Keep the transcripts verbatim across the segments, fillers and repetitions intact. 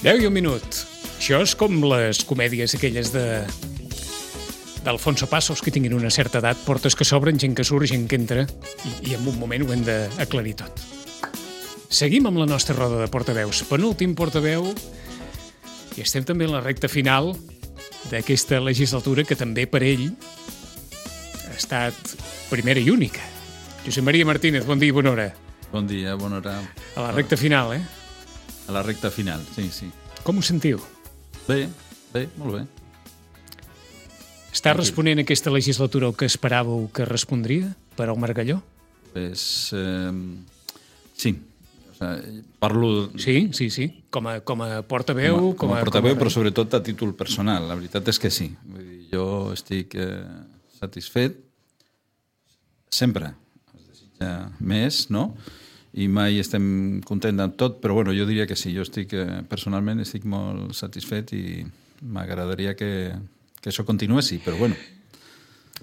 deu i un minut. Això és com les comèdies aquelles de d'Alfonso Passos, que tinguin una certa edat, portes que s'obren, gent que surt, gent que entra, i, i en un moment ho hem d'aclarir tot. Seguim amb la nostra roda de portaveus. Penúltim portaveu, i estem també en la recta final d'aquesta legislatura, que també per ell ha estat primera i única. Josep Maria Martínez, bon dia i bona hora. Bon dia, bona hora. A la recta final, eh? A la recta final, sí, sí. Com ho sentiu? Bé, bé, molt bé. Està responent aquesta legislatura el que esperàveu que respondria per al Margalló? Pues, eh, sí. O sea, parlo... Sí, sí, sí. Com a, com a portaveu... Com a, com a portaveu, com a... però sobretot a títol personal. La veritat és que sí. Vull dir, jo estic eh, satisfet sempre. Es desitja més, no? I mai estem contents amb tot, però bueno, jo diria que sí. Jo estic, eh, personalment, estic molt satisfet i m'agradaria que... que això continuessi, però bueno.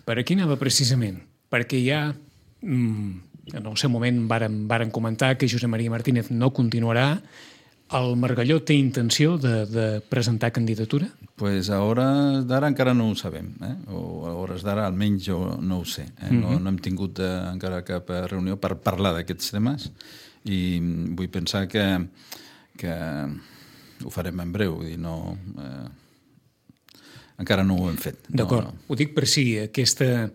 Per aquí anava precisament, perquè ja mmm, en el seu moment varen, varen comentar que Josep Maria Martínez no continuarà. El Margalló té intenció de, de presentar candidatura? Pues a hores d'ara encara no ho sabem, eh? O a hores d'ara almenys jo no ho sé. Eh? No, no hem tingut eh, encara cap reunió per parlar d'aquests temes i vull pensar que, que ho farem en breu, vull dir, no... Eh, encara no ho hem fet. D'acord. No, no. Ho dic per si aquesta,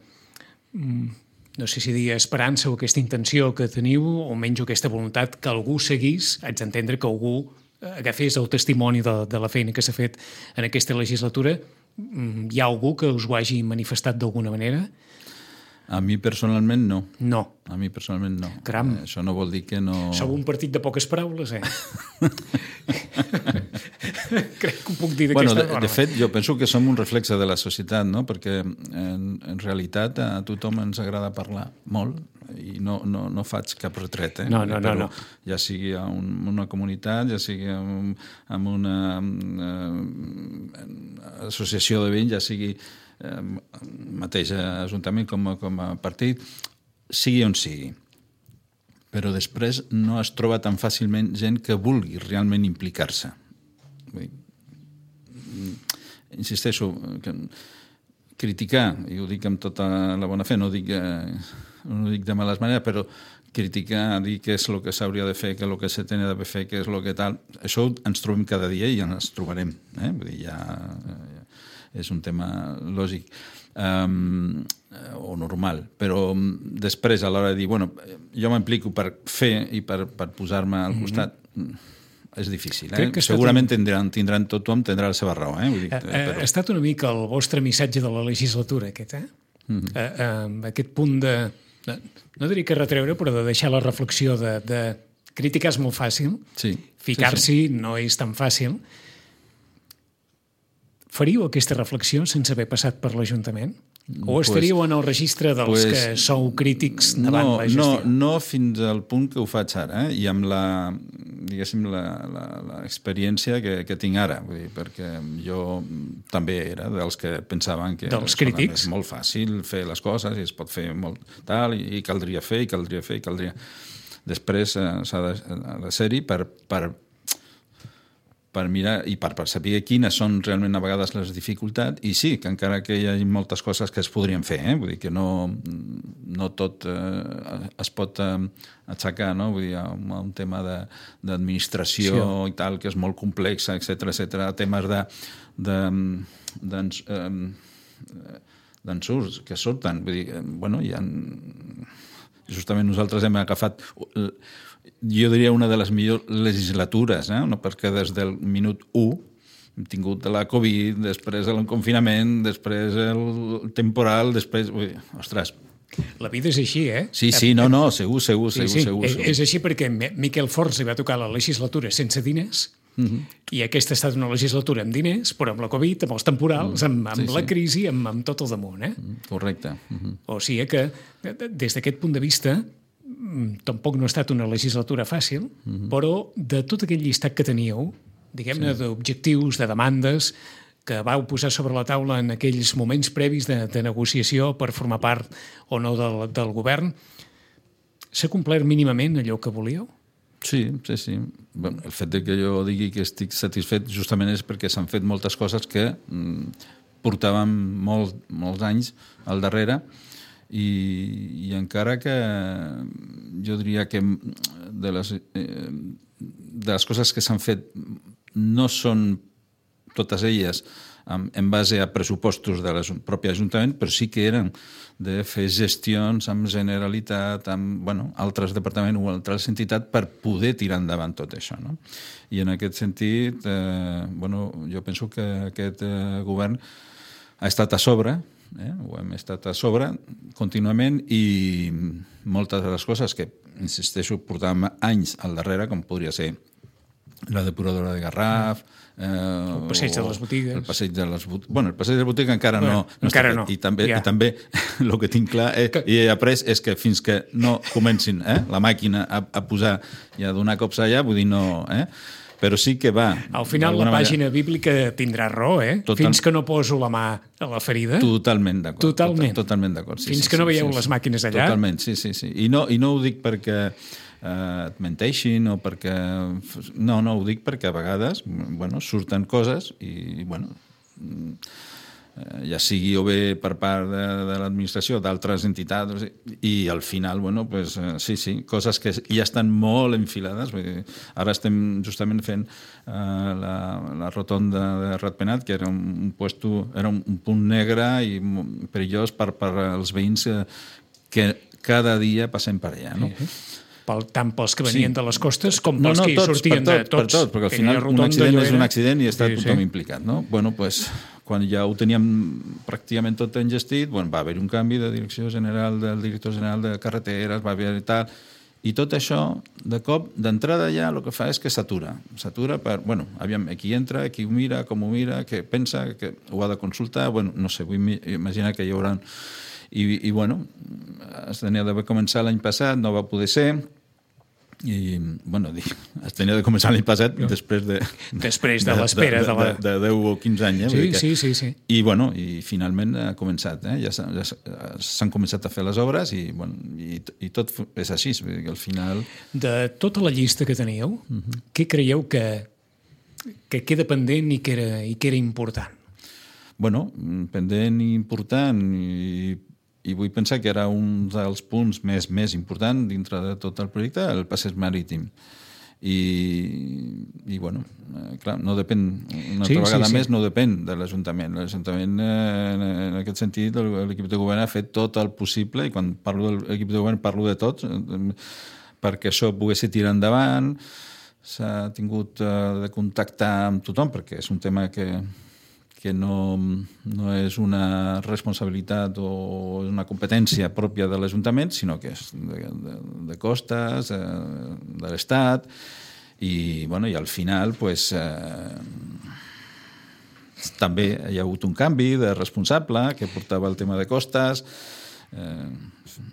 no sé si dir esperança o aquesta intenció que teniu, o menys aquesta voluntat que algú seguís, haig d'entendre que algú agafés el testimoni de, de la feina que s'ha fet en aquesta legislatura. Hi ha algú que us ho hagi manifestat d'alguna manera? A mi personalment no. No. A mi personalment no. Caram. Eh, això no vol dir que no... Sou un partit de poques paraules, eh? Crec que ho puc dir d'aquesta bueno, de, forma. de fet, jo penso que som un reflexe de la societat, no? Perquè en, en realitat a tothom ens agrada parlar molt i no, no, no faig cap retret, eh? No, no, no, no. Ja sigui en un, una comunitat, ja sigui en, en una eh, associació de veïns, ja sigui eh, mateix ajuntament com a, com a partit, sigui on sigui. Però després no es troba tan fàcilment gent que vulgui realment implicar-se. Vull dir, insisteixo, que criticar, i ho dic amb tota la bona fe, no ho dic, eh, no ho dic de males maneres, però criticar, dir què és el que s'hauria de fer, què és el que se tenia de fer, què és el que tal, això ens trobem cada dia i ens trobarem. Eh? Vull dir, ja, ja és un tema lògic. Um, o normal, però després a l'hora de dir, bueno, jo m'implico per fer i per, per posar-me al costat, mm-hmm. és difícil, eh? Segurament tindran, tindran tothom tindrà la seva raó, eh? Vull dir, ha, però... ha estat una mica el vostre missatge de la legislatura aquest, eh? Mm-hmm. uh, uh, aquest punt de, de no diria que retreure, però de deixar la reflexió de, de criticar és molt fàcil, sí, ficar-s'hi sí, sí. no és tan fàcil. Faríeu aquesta reflexió sense haver passat per l'Ajuntament? O estaríeu pues, en el registre dels pues, que sou crítics davant no, la gestió? No, no fins al punt que ho faig ara, eh? I amb la, diguéssim, l'experiència que, que tinc ara, vull dir, perquè jo també era dels que pensaven que dels crítics. És molt fàcil fer les coses i es pot fer molt tal, i, i caldria fer, i caldria fer, i caldria... Després eh, s'ha de, de ser-hi per... per per mirar i per, per saber quines són realment a vegades les dificultats, i sí, que encara que hi ha moltes coses que es podrien fer, eh? Vull dir que no, no tot eh, es pot eh, aixecar, no? Vull dir, un, un tema d'administració sí. I tal, que és molt complex, etcètera, etcètera, temes de, de, d'ens, eh, d'ensurts que surten, vull dir, bueno, hi ha... Justament nosaltres hem agafat... Jo diria una de les millors legislatures, eh? No? Perquè des del minut u hem tingut la Covid, després el confinament, després el temporal, després... Ui, ostres... La vida és així, eh? Sí, sí, no, no, segur, segur, sí, segur, sí. segur, segur. És així perquè Miquel Forns li va tocar la legislatura sense diners, uh-huh. I aquesta ha estat una legislatura amb diners, però amb la Covid, amb els temporals, uh-huh. amb, amb sí, la sí. crisi, amb, amb tot el damunt, eh? Uh-huh. Correcte. Uh-huh. O sigui que, des d'aquest punt de vista, tampoc no ha estat una legislatura fàcil, uh-huh. però de tot aquell llistat que teníeu, diguem-ne, sí. d'objectius, de demandes, que vau posar sobre la taula en aquells moments previs de, de negociació per formar part o no del, del govern, s'ha complert mínimament allò que volíeu? Sí, sí, sí. Bueno, el fet de que jo digui que estic satisfet justament és perquè s'han fet moltes coses que mm, portàvem molt, molts anys al darrere i, i encara que jo diria que de les, eh, de les coses que s'han fet no són totes elles en, en base a pressupostos de la pròpia Ajuntament, però sí que eren de fer gestions amb Generalitat, amb bueno, altres departaments o altres entitats per poder tirar endavant tot això. No? I en aquest sentit, eh, bueno, jo penso que aquest eh, govern ha estat a sobre, eh? ho hem estat a sobre contínuament i moltes de les coses que, insisteixo, portàvem anys al darrere, com podria ser la depuradora de Garraf, eh, el passeig de les botigues. El passeig de les botigues. Bueno, el passeig de les botigues encara bueno, no, no encara està no. I també, ja. i també el que tinc clar eh, que... i he après és que fins que no comencin eh, la màquina a, a posar i a donar cops allà, vull dir, no... Eh, però sí que va... Al final la pàgina manera... bíblica tindrà raó, eh? Total... Fins que no poso la mà a la ferida... Totalment d'acord. Totalment. Total, totalment d'acord. Sí, Fins sí, que no sí, veieu sí, les màquines allà... Totalment, sí, sí, sí. I no, i no ho dic perquè eh, et menteixin o perquè... No, no, ho dic perquè a vegades bueno, surten coses i, bueno... ja sigui o bé per part de, de l'administració, d'altres entitats, i al final, bueno, pues, sí, sí, coses que ja estan molt enfilades. Vull dir, ara estem justament fent uh, la, la rotonda de Ratpenat, que era un, un, puesto, era un, un punt negre i perillós per, per als veïns que cada dia passem per allà, no? Sí. Pel, tant pels que venien sí. de les costes com pels no, no, que hi tots, sortien per tot, de tots. Per tot, perquè al final un accident és un accident i està sí, tothom sí. implicat, no? Bueno, pues, quan ja ho teníem pràcticament tot engestit, bueno, va haver un canvi de direcció general del director general de carreteres, va haver tal, i tot això, de cop, d'entrada ja el que fa és que s'atura. S'atura per, bueno, aviam, qui entra, qui ho mira, com ho mira, què pensa, que ho ha de consultar, bueno, no sé, vull imaginar que hi haurà... I, i bueno, es tenia d'haver començat l'any passat, no va poder ser, i, bueno, es tenia de començar l'any passat no. després de... Després de, de l'espera. De, de, de, de deu o quinze anys, eh? Sí, que, sí, sí, sí. I, bueno, i finalment ha començat, eh? Ja s'han ja començat a fer les obres i, bueno, i, i tot és així, vull dir que al final... De tota la llista que teníeu, uh-huh. què creieu que, que queda pendent i que era, i que era important? Bueno, pendent i important i... i vull pensar que era un dels punts més, més important dintre de tot el projecte, el passeig marítim. I, i bueno, clar, no depèn, una sí, altra vegada sí, sí. més, no depèn de l'Ajuntament. L'Ajuntament, en, en aquest sentit, l'equip de govern ha fet tot el possible, i quan parlo de l'equip de govern parlo de tots, perquè això pogués tirar endavant. S'ha tingut de contactar amb tothom, perquè és un tema que... que no, no és una responsabilitat o una competència pròpia de l'Ajuntament, sinó que és de, de, de costes, de, de l'Estat, i, bueno, i al final pues, eh, també hi ha hagut un canvi de responsable que portava el tema de costes. Eh,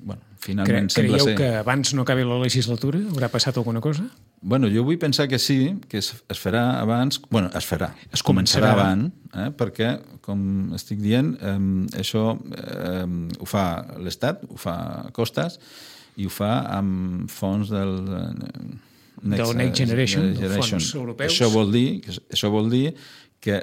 bueno, finalment Cre sembla Creieu ser... que abans no acabi la legislatura? Haurà passat alguna cosa? Bueno, jo vull pensar que sí, que es, es farà abans... Bueno, es farà, es començarà, començarà. abans, eh? perquè, com estic dient, eh, això eh, ho fa l'Estat, ho fa Costes, i ho fa amb fons del... Next, del Next Generation, Generation. Fons europeus. Això vol dir, això vol dir que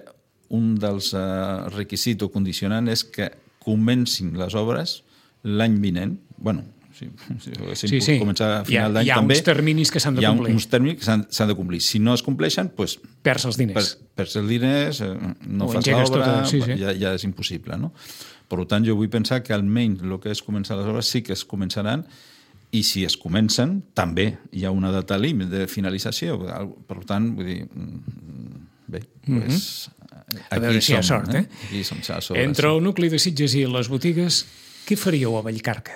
un dels uh, requisits o condicionant és que comencin les obres l'any vinent. Bueno, si, si sí, sí. començar a final d'any també... Hi ha uns terminis que s'han de complir. Hi ha uns terminis que s'han de complir. Si no es compleixen, doncs... Perds els diners. Per, perds els diners, no o fas l'obra, tota... sí, sí. ja, ja és impossible, no? Per tant, jo vull pensar que almenys el que és començar les obres sí que es començaran, i si es comencen, també hi ha una data límit de finalització. Per tant, vull dir... Bé, doncs... Mm-hmm. A veure si hi ha sort, eh? Aquí som, Entre el nucli de Sitges i les botigues, què faríeu a Vallcarca?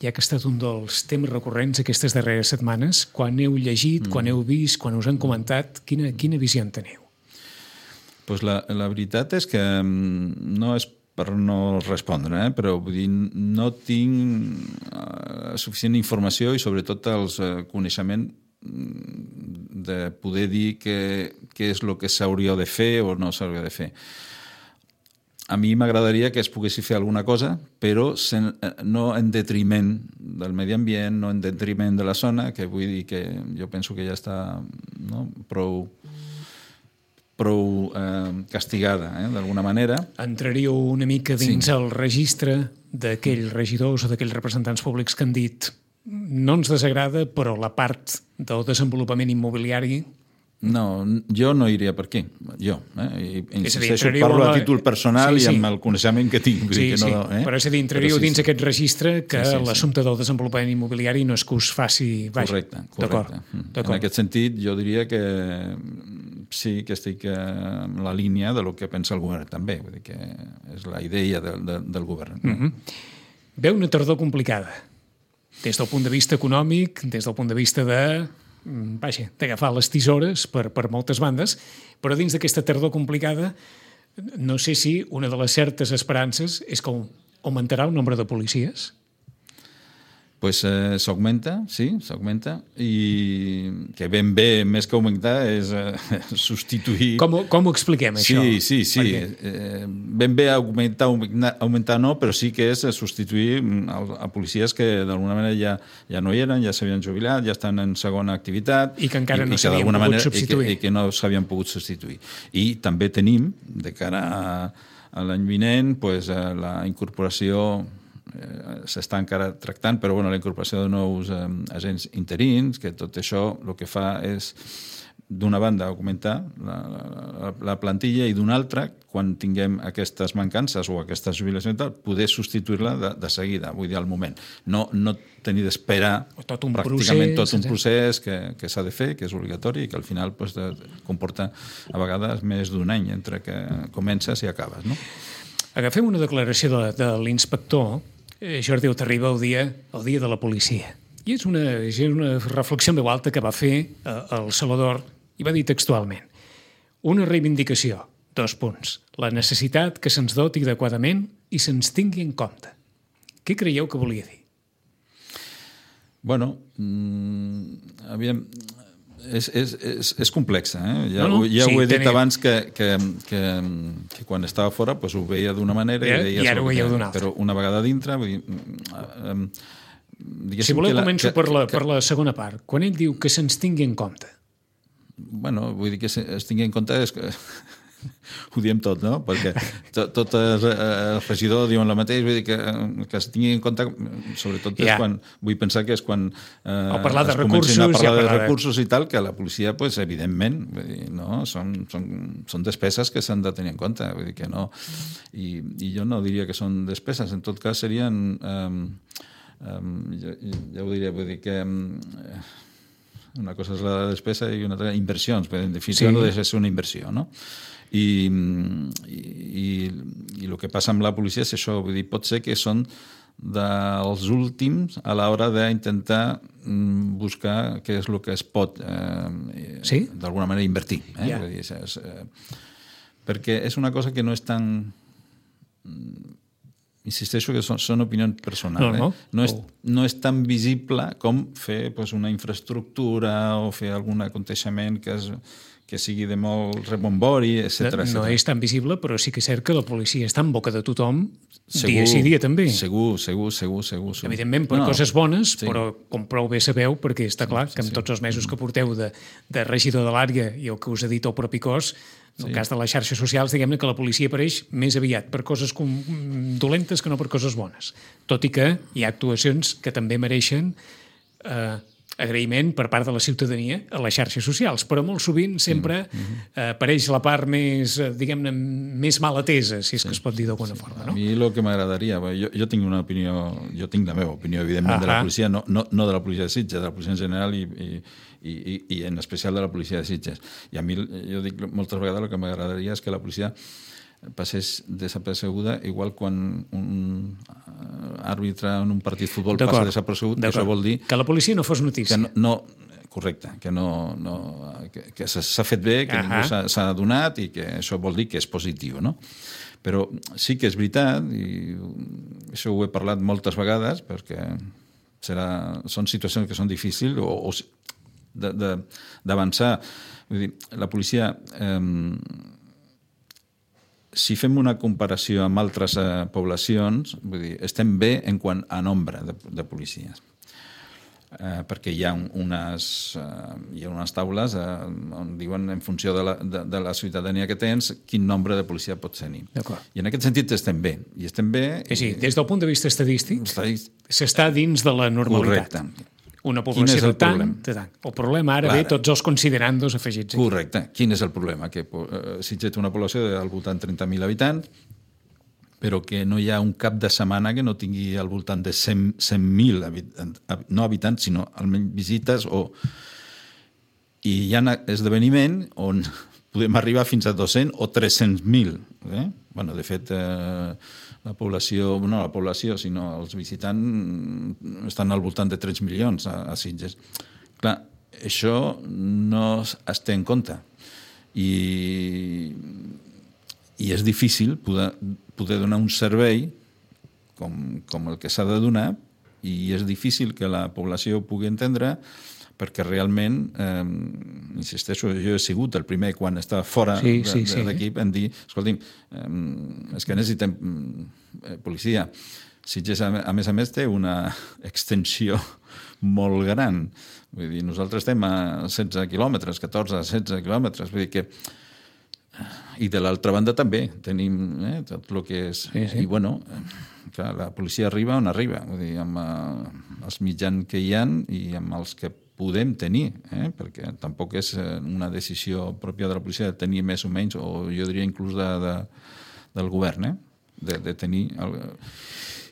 Ja que ha estat un dels temes recurrents aquestes darreres setmanes, quan heu llegit, mm. quan heu vist, quan us han comentat, quina, quina visió en teniu? Pues la, la veritat és que no és per no respondre, eh? Però vull dir, no tinc uh, suficient informació i sobretot els uh, coneixements de poder dir què, què és el que s'hauria de fer o no s'hauria de fer. a mi m'agradaria que es poguessi fer alguna cosa, però sen, no en detriment del medi ambient, no en detriment de la zona, que vull dir que jo penso que ja està, no, prou, prou eh, castigada, eh, d'alguna manera. Entraríeu una mica dins Sí. el registre d'aquells regidors o d'aquells representants públics que han dit no ens desagrada, però la part del desenvolupament immobiliari... No, jo no iria per aquí, jo. Eh? I, insisteixo, entraríeu parlo a la- a títol personal Sí, sí. i amb el coneixement que tinc. Vull Sí, dir que sí, no, eh? però és a dir, entraríeu Però sí, dins sí. aquest registre que Sí, sí, sí. l'assumpte del desenvolupament immobiliari no és que us faci... Vaja, Correcte, d'acord, correcte. Mm. En d'acord. aquest sentit, jo diria que sí que estic en la línia de lo que pensa el govern també. Vull dir que és la idea de, de, del govern. Mm -hmm. Ve una tardor complicada, des del punt de vista econòmic, des del punt de vista de... Vaja, d'agafar les tisores per, per moltes bandes, però dins d'aquesta tardor complicada no sé si una de les certes esperances és que augmentarà el nombre de policies. Pues eh, s'augmenta, sí, s'augmenta, i que ben bé, més que augmentar, és eh, substituir... Com, com ho expliquem, això? Sí, sí, sí. Perquè... Eh, ben bé augmentar, augmentar, augmentar no, però sí que és substituir a, a policies que d'alguna manera ja, ja no hi eren, ja s'havien jubilat, ja estan en segona activitat... I que encara no i que s'havien d'alguna pogut manera, substituir. I que, i que no s'havien pogut substituir. I també tenim, de cara a, a l'any vinent, pues, la incorporació... Eh, s'està encara tractant, però bueno, la incorporació de nous eh, agents interins, que tot això el que fa és, d'una banda, augmentar la, la, la plantilla i d'una altra, quan tinguem aquestes mancances o aquestes jubilacions, poder substituir-la de, de seguida, vull dir, al moment. No, no tenir d'esperar tot un pràcticament procés, tot un procés que, que s'ha de fer, que és obligatori i que al final pues, de, comporta a vegades més d'un any entre que comences i acabes. No? Agafem una declaració de, de l'inspector Jordi Otarriba el dia, el dia de la policia. I és una, és una reflexió en veu alta que va fer el Salvador i va dir textualment: una reivindicació, dos punts, la necessitat que se'ns doti adequadament i se'ns tingui en compte. Què creieu que volia dir? Bueno, mmm, aviam... És, és, és, és complexa, eh? Ja, no, no, ja sí, ho he dit tenia... abans que, que, que, que quan estava fora pues, ho veia d'una manera ja, i, i ara ho veieu d'una altra. Però una vegada dintre... Vull dir, um, si voleu la, començo que, per, la, que, per la segona part. Quan ell diu que se'ns tingui en compte. Bueno, vull dir que es tingui en compte... És que, ho diem tot, no? Perquè tot, tot el, el regidor diuen el mateix, vull dir que, que es tingui en compte, sobretot és ja. quan, vull pensar que és quan eh, o parlar de es comencin recursos, a parlar ja de parlar recursos i tal, que la policia, pues, evidentment, vull dir, no? són, són, són despeses que s'han de tenir en compte, vull dir que no, i, i jo no diria que són despeses, en tot cas serien, um, um, ja, ja ho diria, vull dir que um, una cosa és la despesa i una altra inversions, però en definitiva sí. No deixa de ser una inversió, no? I, i, i el que passa amb la policia és això, vull dir, pot ser que són dels últims a l'hora d'intentar buscar què és el que es pot eh, sí? d'alguna manera invertir. Eh? Yeah. Vull dir, és, és, eh, perquè és una cosa que no és tan... Insisteixo que són, són opinions personals. No, no. Eh? No, és, oh. no és tan visible com fer pues, una infraestructura o fer algun aconteixement que és... que sigui de molt rebombori, etcètera. No, no és tan visible, però sí que és cert que la policia està en boca de tothom segur, dia sí dia també. Segur, segur, segur, segur. segur. Evidentment per no, coses bones, sí. Però com prou bé sabeu, perquè està clar sí, que amb sí. tots els mesos que porteu de, de regidor de l'àrea i el que us ha dit el propi cos, en el sí. cas de les xarxes socials, diguem-ne que la policia apareix més aviat per coses com, dolentes que no per coses bones. Tot i que hi ha actuacions que també mereixen eh, agraïment per part de la ciutadania a les xarxes socials, però molt sovint sempre mm-hmm. eh, apareix la part més, diguem-ne, més mal atesa, si és sí. que es pot dir d'alguna sí. forma. No? A mi el que m'agradaria, jo, jo tinc una opinió, jo tinc la meva opinió, evidentment, ah de la policia, no, no, no de la policia de Sitges, de la policia en general i, i, i, i en especial de la policia de Sitges. I a mi, jo dic moltes vegades, el que m'agradaria és que la policia passés desapercebuda, igual quan un àrbitre en un partit de futbol passa desapercebut, que això vol dir... Que la policia no fos notícia. Que no, no, correcte, que, no, no, que, que s'ha fet bé, que uh -huh. ningú s'ha adonat i que això vol dir que és positiu, no? Però sí que és veritat, i això ho he parlat moltes vegades, perquè serà, són situacions que són difícils o, o d'avançar. Vull dir, la policia... Eh, si fem una comparació amb altres eh, poblacions, vull dir, estem bé en quant a nombre de, de policies. Eh, perquè hi ha unes, eh, hi ha unes taules eh, on diuen en funció de la, de, de la ciutadania que tens quin nombre de policia pots tenir. I en aquest sentit estem bé. I estem bé... És dir, des del punt de vista estadístic, estadístic... s'està dins de la normalitat. Correcte. Una població de tant, problema? de tant. El problema ara Clar. ve tots els considerandos afegits aquí. Correcte. Quin és el problema? Que eh, Sitges té una població del voltant de trenta mil habitants, però que no hi ha un cap de setmana que no tingui al voltant de cent mil habitants, no habitants, sinó almenys visites, o... i hi ha esdeveniment on podem arribar fins a dos-cents o tres-cents mil. Eh? Bueno, de fet, eh, la població, no la població, sinó els visitants estan al voltant de tres milions a, a Sitges. Clar, això no es té en compte. I, i és difícil poder, poder donar un servei com, com el que s'ha de donar, i és difícil que la població ho pugui entendre, perquè realment, eh, insisteixo, jo he sigut el primer quan estava fora sí, sí, de, de l'equip sí. en dir, escolti'm, eh, és que necessitem eh, policia. Sitges, a, a més a més, té una extensió molt gran. Vull dir, nosaltres estem a setze quilòmetres, catorze, setze quilòmetres, vull dir que... I de l'altra banda també tenim eh, tot el que és... Sí, sí. I, bueno, clar, la policia arriba on arriba, vull dir, amb eh, els mitjans que hi ha i amb els que podem tenir, eh? Perquè tampoc és una decisió pròpia de la policia de tenir més o menys, o jo diria inclús de, de, del govern, eh? de, de tenir... El...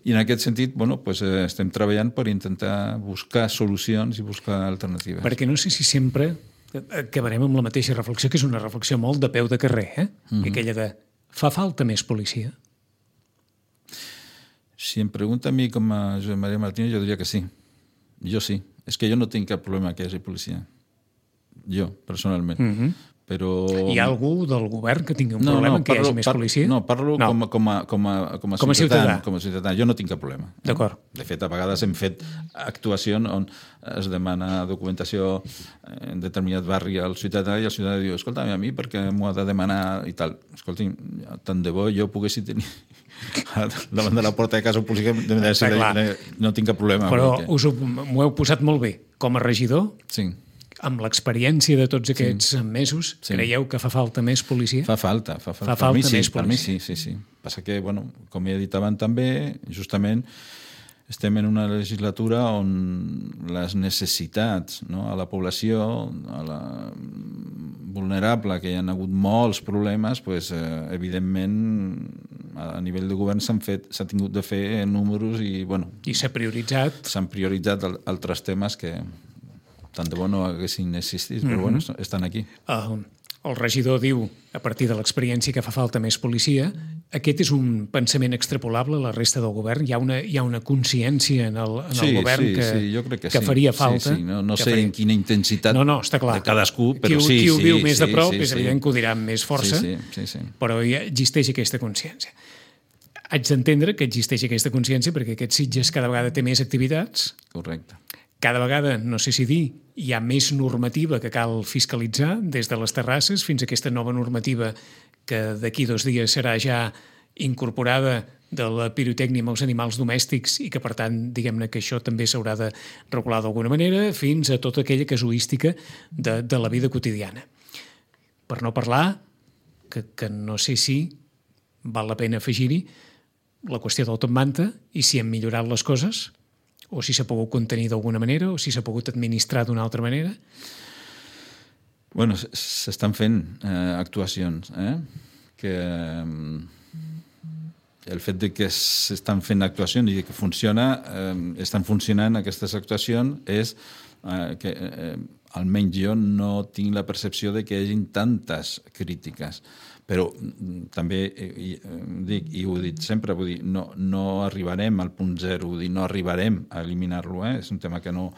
I en aquest sentit, bueno, pues, eh, estem treballant per intentar buscar solucions i buscar alternatives. Perquè no sé si sempre acabarem amb la mateixa reflexió, que és una reflexió molt de peu de carrer, eh? Mm-hmm. Aquella de, fa falta més policia? Si em pregunta a mi com a Josep Maria Martínez, jo diria que sí. Jo sí. És que jo no tinc cap problema que hi hagi policia. Jo, personalment. Mm-hmm. Però... Hi ha algú del govern que tingui un no, problema no, parlo, que hi hagi més parlo, policia? No, parlo no. Com, a, com, a, com, a, com, a com a ciutadà. Com a ciutadà. Jo no tinc cap problema. D'acord. De fet, a vegades hem fet actuacions on es demana documentació en determinat barri al ciutadà i el ciutadà diu, escolta'm, a mi perquè m'ho ha de demanar i tal. Escolti'm, tant de bo jo poguessi tenir davant de la porta de casa un policia, no tinc cap problema. Però perquè... us ho, m'ho heu posat molt bé. Com a regidor, sí. Amb l'experiència de tots aquests sí. mesos, sí. Creieu que fa falta més policia? Fa falta, fa falta. Fa falta per mi, sí, més policia. Per mi sí, sí, sí. Passa que, bueno, com he dit abans també, justament estem en una legislatura on les necessitats, no, a la població, a la vulnerable, que hi ha hagut molts problemes, pues, eh, evidentment, a nivell de govern s'han fet, s'ha tingut de fer números i, bueno... I s'ha prioritzat. S'han prioritzat altres temes que... tant de bo no haguessin existit, però mm-hmm. bueno, estan aquí. Uh, el regidor diu, a partir de l'experiència, que fa falta més policia. Aquest és un pensament extrapolable a la resta del govern? Hi ha una, hi ha una consciència en el, en sí, el govern sí, que, sí, jo crec que, que sí. faria falta? Sí, sí. No, no sé faria... en quina intensitat no, no, està clar. de cadascú, però qui, sí. Qui ho viu sí, més sí, de prop sí, és sí, evident que ho dirà amb més força, sí, sí, sí, sí. Però ja existeix aquesta consciència. Haig d'entendre que existeix aquesta consciència perquè aquest Sitges cada vegada té més activitats. Correcte. Cada vegada, no sé si dir, hi ha més normativa que cal fiscalitzar, des de les terrasses fins a aquesta nova normativa que d'aquí dos dies serà ja incorporada de la pirotècnia amb els animals domèstics i que, per tant, diguem-ne que això també s'haurà de regular d'alguna manera, fins a tota aquella casuística de, de la vida quotidiana. Per no parlar, que, que no sé si val la pena afegir-hi, la qüestió del top manta i si han millorat les coses, o si s'ha pogut contenir d'alguna manera, o si s'ha pogut administrar d'una altra manera? Bueno, s'estan fent eh, actuacions, eh? Que eh, el fet de que s'estan fent actuacions i que funciona, eh, estan funcionant aquestes actuacions, és eh, que eh, almenys jo no tinc la percepció de que hi hagi tantes crítiques. Però també i, dic, i ho he dit sempre, vull dir, no, no arribarem al punt zero, vull dir, no arribarem a eliminar-lo, eh? És un tema que no...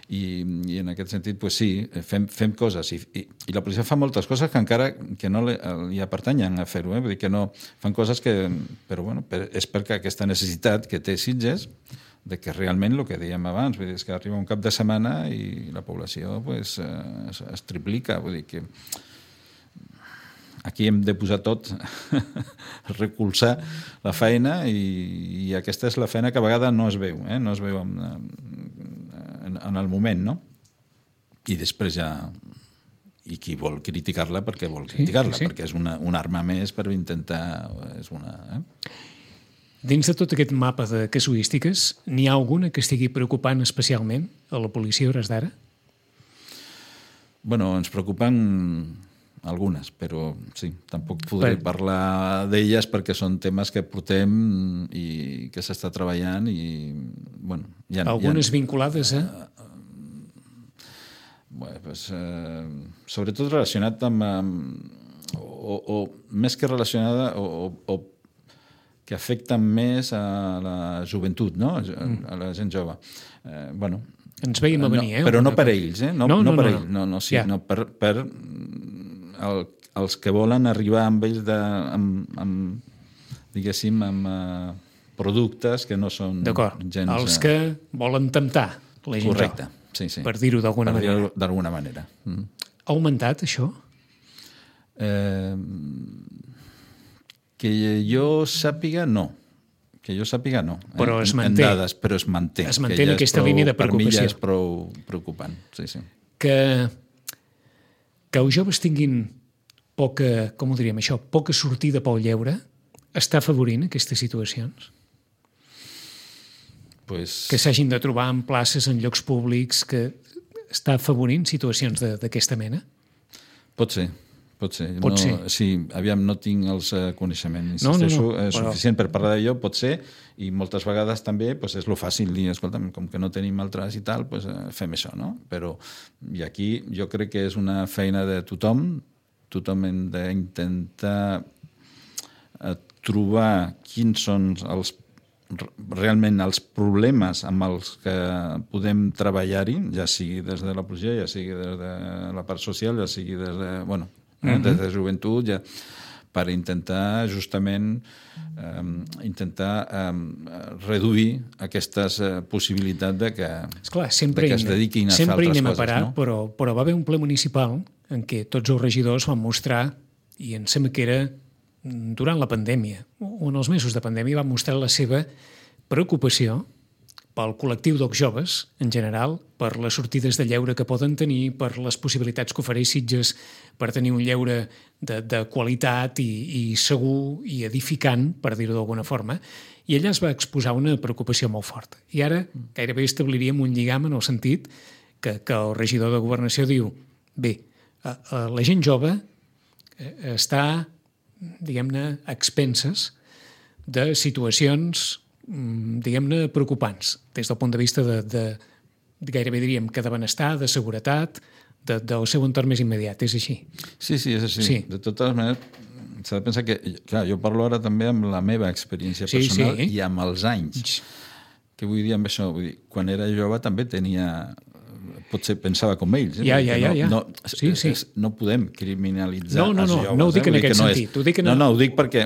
I, i en aquest sentit, pues sí, fem, fem coses, i, i, i la policia fa moltes coses que encara que no li, li pertanyen a fer-ho, eh? Vull dir que no... Fan coses que... Però bueno, per, és perquè aquesta necessitat que té Sitges de que realment el que dèiem abans, vull dir, és que arriba un cap de setmana i la població pues, es, es triplica, vull dir que aquí hem de posar tot, recolzar la feina i, i aquesta és la feina que a vegades no es veu, eh? no es veu en, en, en el moment, no? I després ja... I qui vol criticar-la perquè vol criticar-la, sí, sí, sí. perquè és una, una arma més per intentar... És una, eh? Dins de tot aquest mapa de casuístiques, n'hi ha alguna que estigui preocupant especialment a la policia a hores d'ara? Bueno, ens preocupen algunes, però sí, tampoc podré per... parlar d'elles perquè són temes que portem i que s'està treballant i, bueno... Hi ha, algunes hi ha, vinculades a... Bueno, pues, eh, sobretot relacionat amb, amb o, o més que relacionada o, o, o que afecten més a la joventut, no? a, a la gent jove. Eh, bueno, ens veiem a venir, no, eh? Però no per ells, eh? No, no, no, no per no, ells, no, no, sí, yeah. no per, per el, els que volen arribar amb ells de, amb, amb, diguéssim, amb uh, productes que no són d'acord, gens... els que volen temptar la gent correcte. jove. Sí, sí. Per dir-ho d'alguna per manera. dir-ho d'alguna manera. Mm. Ha augmentat, això? Eh, que jo sàpiga, no. Que jo sàpiga, no. Però eh? es manté. En dades, però es manté. Es manté en aquesta prou, línia de preocupació. Per mi ja és prou preocupant. Sí, sí. Que, que els joves tinguin poca, com ho diríem això, poca sortida pel lleure, està afavorint aquestes situacions? Pues... que s'hagin de trobar en places, en llocs públics, que està afavorint situacions d'aquesta mena? Pot ser, pot ser. Pot no, ser. Sí, aviam, no tinc els uh, coneixements. No, no, no, eh, suficient però... per parlar d'allò, pot ser, i moltes vegades també pues, és lo fàcil dir, escolta'm, com que no tenim altres i tal, pues, uh, fem això, no? Però, i aquí jo crec que és una feina de tothom, tothom hem d'intentar uh, trobar quins són els realment els problemes amb els que podem treballar-hi, ja sigui des de la policia, ja sigui des de la part social, ja sigui des de, bueno, eh, uh-huh. des de joventut, ja, per intentar justament eh, intentar eh, reduir aquestes eh, possibilitats de que, esclar, sempre de que es dediquin a fer altres coses. Sempre anem a parar, no? però, però va haver un ple municipal en què tots els regidors van mostrar, i em sembla que era durant la pandèmia, o en els mesos de pandèmia, van mostrar la seva preocupació pel col·lectiu dels joves, en general, per les sortides de lleure que poden tenir, per les possibilitats que ofereix Sitges per tenir un lleure de, de qualitat i, i segur i edificant, per dir-ho d'alguna forma, i ella es va exposar una preocupació molt forta. I ara gairebé establiríem un lligam en el sentit que, que el regidor de Governació diu bé, la gent jove està diguem-ne, expenses de situacions, diguem-ne, preocupants, des del punt de vista de, de, de gairebé diríem que de benestar, de seguretat, de, del seu entorn més immediat. És així? Sí, sí, és així. Sí. De totes maneres, s'ha de pensar que, clar, jo parlo ara també amb la meva experiència sí, personal sí. i amb els anys. Què vull dir amb això? Vull dir, quan era jove també tenia... potser pensava com ells. Eh? Ja, ja, ja. ja. No, sí, sí. És, no podem criminalitzar no, no, no, els joves. No ho dic eh? en aquest no sentit. És... Ho dic en... No, no, ho dic perquè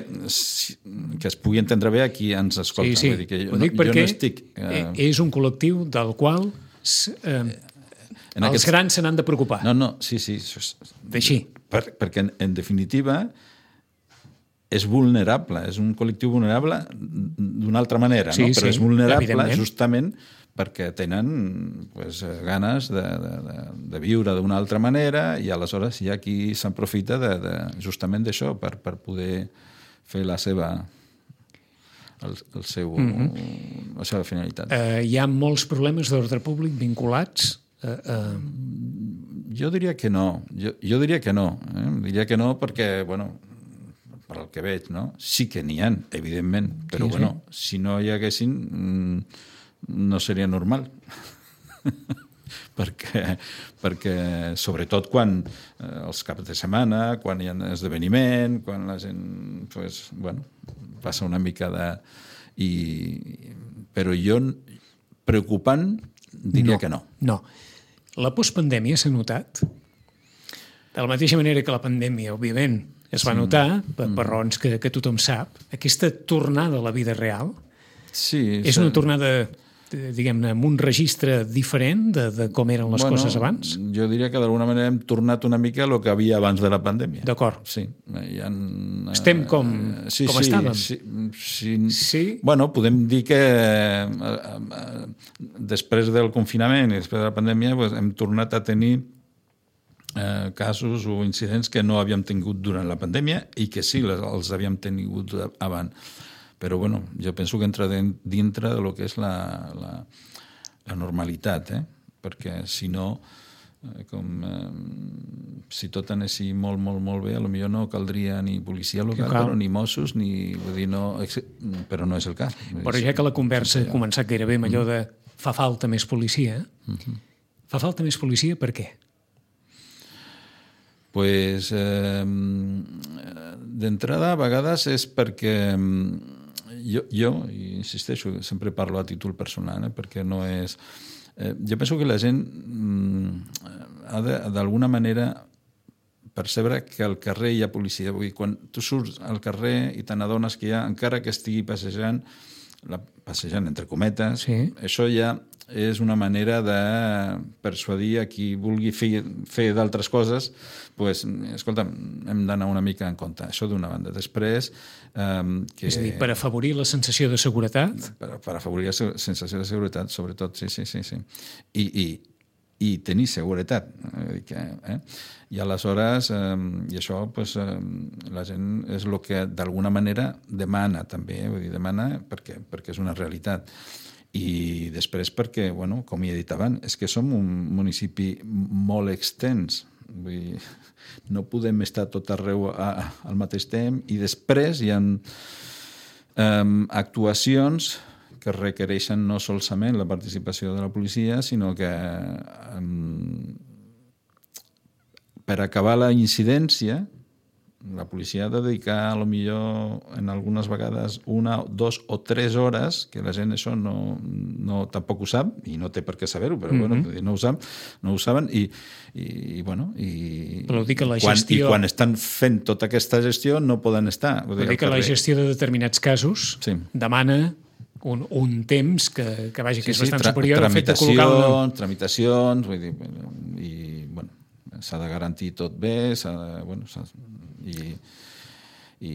que es pugui entendre bé a qui ens escolta. Sí, sí. Vull dir que jo, ho dic no, perquè jo no estic... Eh... és un col·lectiu del qual eh, els aquest... grans se n'han de preocupar. No, no, sí, sí. D'així. Per, perquè, en, en definitiva, és vulnerable. És un col·lectiu vulnerable d'una altra manera, sí, no? Però sí, és vulnerable justament perquè tenen pues, ganes de, de, de, de viure d'una altra manera i aleshores hi ha qui s'aprofita de, de, justament d'això per, per poder fer la seva el, el seu, mm-hmm. la seva finalitat. Uh, hi ha molts problemes d'ordre públic vinculats? Uh, uh... Jo diria que no. Jo, jo diria que no. Eh? Diria que no perquè, bueno, per al que veig, no? Sí que n'hi ha, evidentment, però sí, bueno, sí. Si no hi haguessin... Mm, no seria normal perquè, perquè sobretot quan eh, els caps de setmana, quan hi ha esdeveniment, quan la gent pues, bueno, passa una mica de... I, però jo preocupant diria no, que no. No. La postpandèmia s'ha notat? De la mateixa manera que la pandèmia, òbviament, es va notar, sí. per, per raons que, que tothom sap, aquesta tornada a la vida real sí, és una tornada... diguem-ne, amb un registre diferent de, de com eren les bueno, coses abans? Jo diria que d'alguna manera hem tornat una mica a el que havia abans de la pandèmia. D'acord. Sí. Hi ha, Estem com, eh, sí, com sí, estàvem? Sí, sí. Sí? Bueno, podem dir que eh, eh, després del confinament i després de la pandèmia pues, hem tornat a tenir eh, casos o incidents que no havíem tingut durant la pandèmia i que sí les, els havíem tingut abans. Però bueno, jo penso que entra dintre de lo que és la, la, la normalitat, eh? Perquè si no, eh, com, eh, si tot anessi molt, molt, molt bé, potser no caldria ni policia local, però ni Mossos, ni, vull dir, no, però no és el cas. Però ja que la conversa ha començat gairebé amb allò de fa falta més policia, uh-huh. Fa falta més policia per què? Pues, eh, d'entrada, a vegades és perquè jo, jo insisteixo, sempre parlo a títol personal, eh, perquè no és... Eh, jo penso que la gent mm, ha de, d'alguna manera, percebre que al carrer hi ha policia. Vull dir, quan tu surts al carrer i te n'adones que hi ha, encara que estigui passejant, la, passejant entre cometes, sí. Això ja és una manera de persuadir a qui vulgui fer, fer d'altres coses, pues, escolta, hem d'anar una mica en compte. Això d'una banda. Després... Eh, que, és a dir, per afavorir la sensació de seguretat? Per, per afavorir la sensació de seguretat, sobretot, sí, sí, sí. sí. I, i, i tenir seguretat. Eh? I aleshores, eh, i això, pues, eh, la gent és el que d'alguna manera demana també, vull dir, demana perquè, perquè és una realitat. I després perquè, bueno, com he dit abans, és que som un municipi molt extens. Vull dir, no podem estar tot arreu a, a, al mateix temps i després hi ha um, actuacions que requereixen no solament la participació de la policia, sinó que um, per acabar la incidència la policia ha de dedicar, a lo millor, en algunes vegades, una, dos o tres hores, que la gent això no, no tampoc ho sap, i no té per què saber-ho, però mm-hmm. bueno, no ho sap, no ho saben, i, i bueno, i, però dir que la quan, gestió... i quan estan fent tota aquesta gestió no poden estar. Vull dir, dir que la gestió de determinats casos sí. demana un, un temps que, que vagi, que sí, és bastant sí, tra- superior al fet de col·locar una... Tramitacions, vull dir, i, bueno, s'ha de garantir tot bé, s'ha de, bueno, s'ha, i, i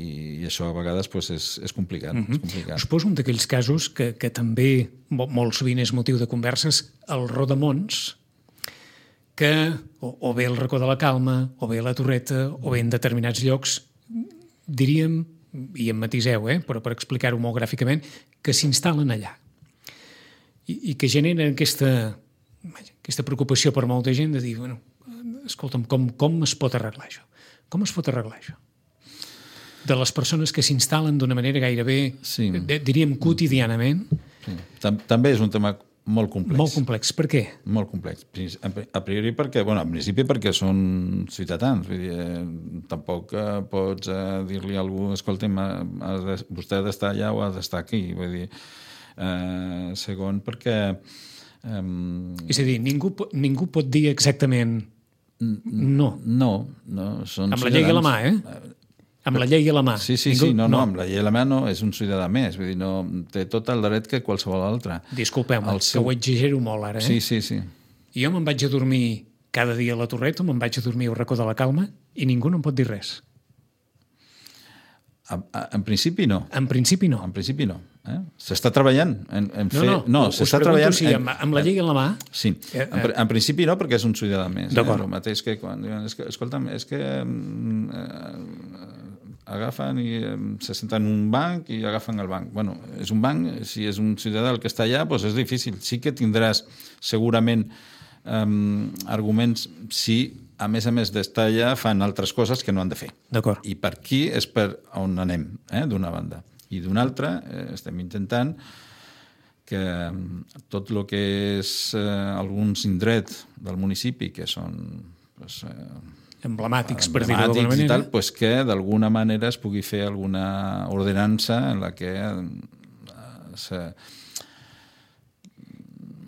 això a vegades pues, és, és, complicat, mm-hmm. és complicat. Us poso un d'aquells casos que, que també molt sovint és motiu de converses, el Rodamons, que o, o bé el Racó de la Calma, o bé la Torreta, o bé en determinats llocs, diríem, i em matiseu, eh, però per explicar-ho molt gràficament, que s'instal·len allà. I, i que generen aquesta, aquesta preocupació per molta gent de dir, bueno, escolta'm, com, com es pot arreglar això? Com es pot arreglar això? De les persones que s'instal·len d'una manera gairebé, sí. diríem, quotidianament. Sí. També és un tema molt complex. Molt complex. Per què? Molt complex. A priori perquè, bueno, a principi perquè són ciutadans. Vull dir, eh, tampoc eh, pots eh, dir-li a algú, escolta'm, de, vostè ha d'estar allà o ha d'estar aquí. Vull dir, eh, segon perquè... Eh, és a dir, ningú, ningú pot dir exactament... No. No, no. Són amb la llei a la mà, eh? Amb la llei a la mà. Sí, sí, Ningú... sí, no, no, amb la llei a la mà no, és un ciutadà més, vull dir, no, té tot el dret que qualsevol altre. Disculpeu-me, seu... que ho exagero molt ara, eh? Sí, sí, sí. Jo me'n vaig a dormir cada dia a la Torreta, me'n vaig a dormir al Racó de la Calma i ningú no em pot dir res. A, a, en principi no. En principi no. En principi no. Eh? S'està treballant en, en fer... No, no, no s'està treballant... Si amb, amb la llei a la mà... Sí, eh, en, en principi no, perquè és un ciutadà més. D'acord. Eh? El mateix que quan diuen, és que, escolta'm, és que eh, agafen i eh, se senten en un banc i agafen el banc. Bueno, és un banc, si és un ciutadà el que està allà, doncs és difícil. Sí que tindràs segurament eh, arguments si... a més a més d'estar allà, fan altres coses que no han de fer. D'acord. I per aquí és per on anem, eh, d'una banda. I d'una altra, eh, estem intentant que tot el que és eh, alguns indrets del municipi, que són pues, eh, emblemàtics, per dir-ho d'alguna manera, i tal, pues, que d'alguna manera es pugui fer alguna ordenança en la que eh, se,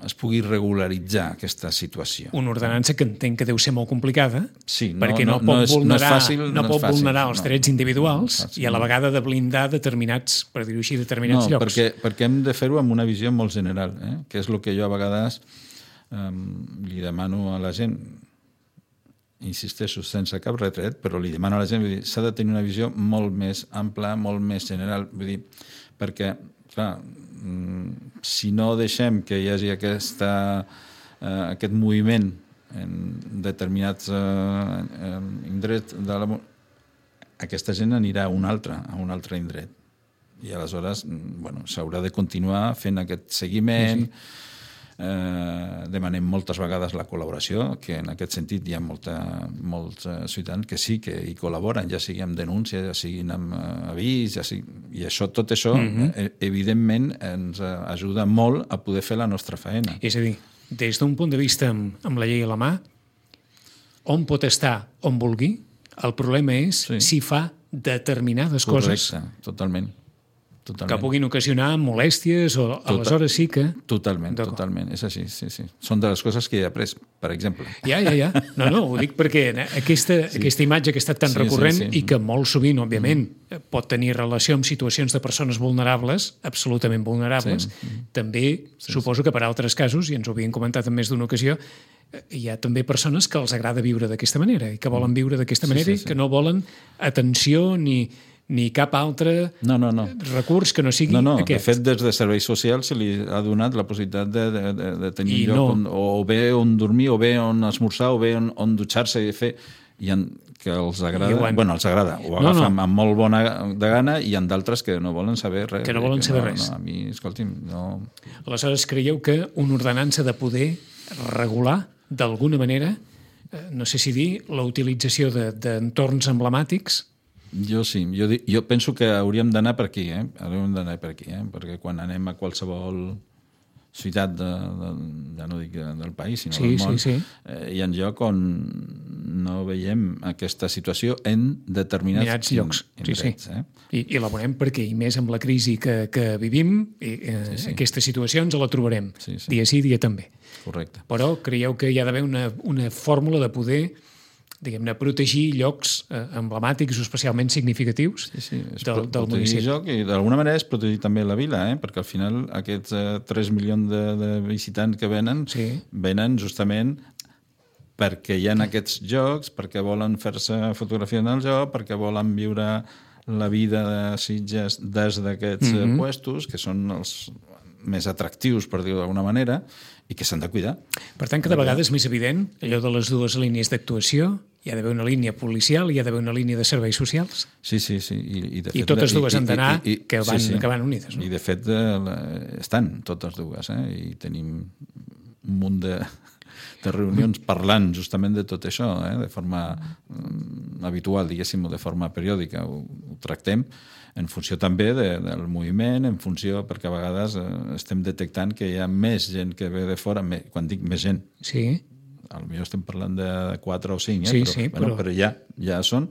es pugui regularitzar aquesta situació. Una ordenança que entenc que deu ser molt complicada, sí, no, perquè no, no, pot no és, vulnerar, no és fàcil, no no pot és fàcil, vulnerar els no, drets individuals no i a la vegada de blindar determinats, per dir-ho així, determinats no, llocs. Perquè, perquè hem de fer-ho amb una visió molt general, eh? Que és el que jo a vegades eh, li demano a la gent, insisteixo sense cap retret, però li demano a la gent, vull dir, s'ha de tenir una visió molt més ampla, molt més general, vull dir, perquè, clar, si no deixem que hi hagi aquesta, eh, aquest moviment en determinats eh, indrets de la... aquesta gent anirà a un altre, a un altre indret. I aleshores, bueno, s'haurà de continuar fent aquest seguiment. Sí, sí. Eh, demanem moltes vegades la col·laboració, que en aquest sentit hi ha molta, molts eh, ciutadans que sí que hi col·laboren, ja sigui amb denúncia, ja siguin amb eh, avís, ja sigui... i això, tot això, mm-hmm. eh, evidentment, ens eh, ajuda molt a poder fer la nostra feina. És a dir, des d'un punt de vista amb, amb la llei a la mà, on pot estar on vulgui, el problema és sí. si fa determinades Correcte, coses... Correcte, totalment. Totalment. Que puguin ocasionar molèsties o Total, aleshores sí que... Totalment, totalment, és així, sí, sí. Són de les coses que he après, per exemple. Ja, ja, ja. No, no, ho dic perquè aquesta, sí. aquesta imatge que ha estat tan sí, recurrent sí, sí. i que molt sovint, òbviament, mm. pot tenir relació amb situacions de persones vulnerables, absolutament vulnerables, sí. també sí, suposo sí. que per altres casos, i ens ho havien comentat en més d'una ocasió, hi ha també persones que els agrada viure d'aquesta manera i que volen viure d'aquesta manera sí, sí, sí. i que no volen atenció ni... ni cap altre no, no, no. recurs que no sigui no, no. aquest. De fet, des de serveis socials se li ha donat la possibilitat de, de, de, de tenir I un lloc no. on, o bé on dormir, o bé on esmorzar, o bé on, on dutxar-se i fer... I en, que els agrada, han... bueno, els agrada, ho agafen no, no. amb molt bona de gana, i hi ha d'altres que no volen saber res. Que no volen saber no, res. No, a mi, escolti'm, no... Aleshores, creieu que una ordenança de poder regular, d'alguna manera, no sé si dir, la utilització d'entorns emblemàtics. Jo sí, jo, jo penso que hauríem d'anar per aquí, eh? hauríem d'anar per aquí, eh? perquè quan anem a qualsevol ciutat, de, de, ja no dic del país, sinó sí, del món, sí, sí. Eh, hi ha lloc on no veiem aquesta situació en determinats Mirats llocs. Indrets, sí, sí. Eh? I, I la veurem perquè, i més amb la crisi que, que vivim, i, eh, sí, sí. aquesta situació ens la trobarem, sí, sí. dia sí, dia també. Correcte. Però creieu que hi ha d'haver una, una fórmula de poder diguem-ne, protegir llocs eh, emblemàtics o especialment significatius sí, sí. És del, del municipi. Joc, i d'alguna manera és protegir també la vila, eh? perquè al final aquests eh, tres milions de, de visitants que venen, sí. venen justament perquè hi ha aquests jocs, perquè volen fer-se fotografia en el joc, perquè volen viure la vida de Sitges des d'aquests mm-hmm. puestos, que són els més atractius, per dir-ho d'alguna manera, i que s'han de cuidar. Per tant, cada vegada és més evident allò de les dues línies d'actuació. Hi ha d'haver una línia policial, hi ha d'haver una línia de serveis socials. Sí, sí, sí. I, i, de fet, I totes dues i, han d'anar, i, i, que van, sí, sí. que van unides. No? I de fet eh, estan totes dues, eh? I tenim un munt de, de reunions parlant justament de tot això, eh? de forma um, habitual, diguéssim, o de forma periòdica. Ho, ho tractem en funció també de, del moviment, en funció, perquè a vegades eh, estem detectant que hi ha més gent que ve de fora, més, quan dic més gent, sí. potser estem parlant de quatre o cinc, eh? sí, però, sí, bueno, però... però ja, ja són,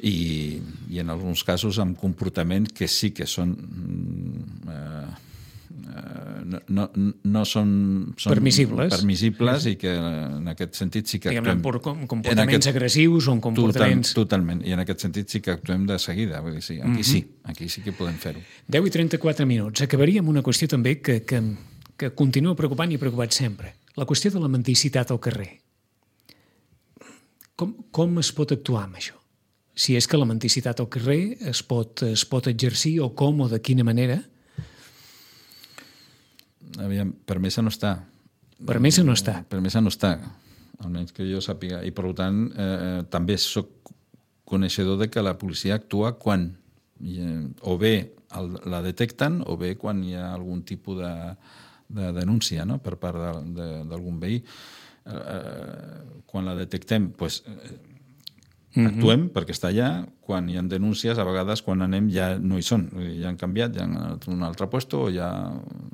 i, i en alguns casos amb comportaments que sí que són... Eh, no, no, no són, són permissibles, permissibles sí. i que en aquest sentit sí que actuem... Diguem-ne, com, comportaments aquest... agressius o comportaments... Total, totalment, i en aquest sentit sí que actuem de seguida, vull dir, sí, aquí mm-hmm. sí, aquí sí que podem fer-ho. deu i trenta-quatre minuts. Acabaria amb una qüestió també que, que, que continua preocupant i preocupat sempre. La qüestió de la mendicitat al carrer. Com, com es pot actuar amb això? Si és que la mendicitat al carrer es pot, es pot exercir o com o de quina manera... Aviam, permesa no està. Permesa no està. Permesa no està, almenys que jo sàpiga. I, per tant, eh, també soc coneixedor de que la policia actua quan eh, o bé el, la detecten o bé quan hi ha algun tipus de, de denúncia, no?, per part d'algun veí. Eh, quan la detectem, doncs, eh, actuem mm-hmm. perquè està allà. Quan hi ha denúncies, a vegades quan anem ja no hi són, ja han canviat, ja han anat a un altre lloc o ja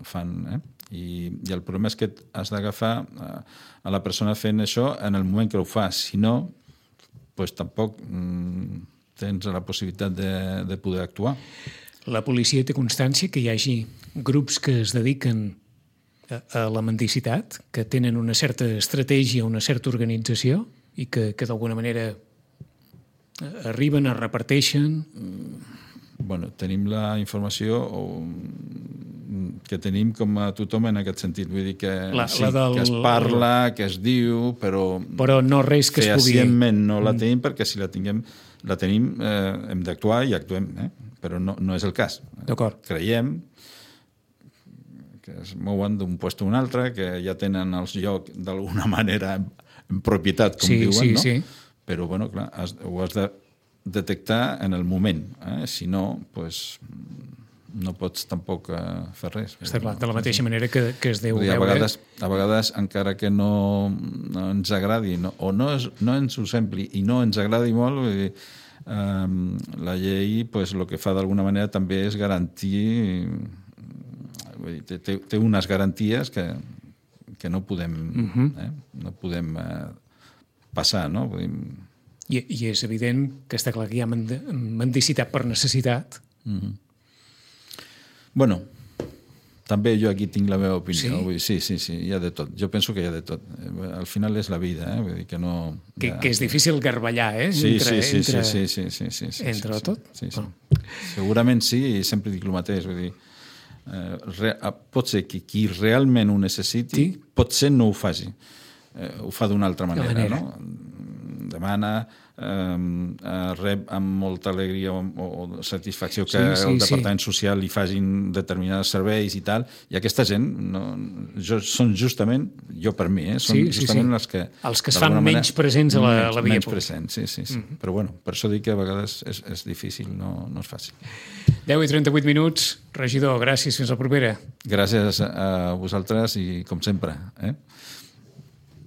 fan... Eh? I, I el problema és que has d'agafar a la persona fent això en el moment que ho fa. Si no, doncs tampoc mm, tens la possibilitat de, de poder actuar. La policia té constància que hi hagi grups que es dediquen a, a la mendicitat, que tenen una certa estratègia, una certa organització i que, que d'alguna manera arriben, es reparteixen? Bueno, tenim la informació que tenim com a tothom en aquest sentit. Vull dir que, la, sí, la del... que es parla, que es diu, però... Però no res que es pugui... Fehacientment no la tenim, perquè si la tinguem, la tenim, eh, hem d'actuar i actuem, eh? Però no, no és el cas. D'acord. Creiem que es mouen d'un lloc a un altre, que ja tenen els llocs d'alguna manera en, en propietat, com sí, diuen, sí, no? Sí. Però, bueno, clar, has, ho has de detectar en el moment. Eh? Si no, pues, no pots tampoc eh, fer res. Està clar, de la mateixa manera que, que es deu dir, veure... A vegades, a vegades, encara que no, no ens agradi, no, o no, és, no ens ho sembli i no ens agradi molt, vull dir, um, la llei pues, el que fa d'alguna manera també és garantir... Vull dir, té, té unes garanties que, que no podem, uh-huh. eh? no podem eh, passar, no? Vull dir, I, I és evident que està clar que hi ha mendicitat per necessitat. Mm-hmm. Bueno, també jo aquí tinc la meva opinió. Sí? Vull dir, sí, sí, sí, hi ha de tot. Jo penso que hi ha de tot. Al final és la vida, eh? Vull dir que no... Que, ja... que és difícil garballar, eh? Sí, entre, sí, sí, entre, sí, sí, sí, sí, sí, entre sí, tot? Sí, sí. Bueno. Segurament sí, i sempre dic el mateix. Vull dir, eh, re, pot ser que qui realment ho necessiti, sí? Potser no ho faci. Eh, ho fa d'una altra manera, manera, no? Demana... Eh, rep amb molta alegria o, o satisfacció que sí, sí, el Departament sí. Social li facin determinats serveis i tal, i aquesta gent no, jo, són justament, jo per mi, eh, són sí, sí, justament sí. les que... Els que es fan manera, menys presents a la, menys, a la via menys pública. Presents, sí, sí, sí. Mm-hmm. Però bueno, per això dic que a vegades és, és difícil, no, no és fàcil. deu i trenta-vuit minuts. Regidor, gràcies, fins la propera. Gràcies a vosaltres i com sempre. Eh?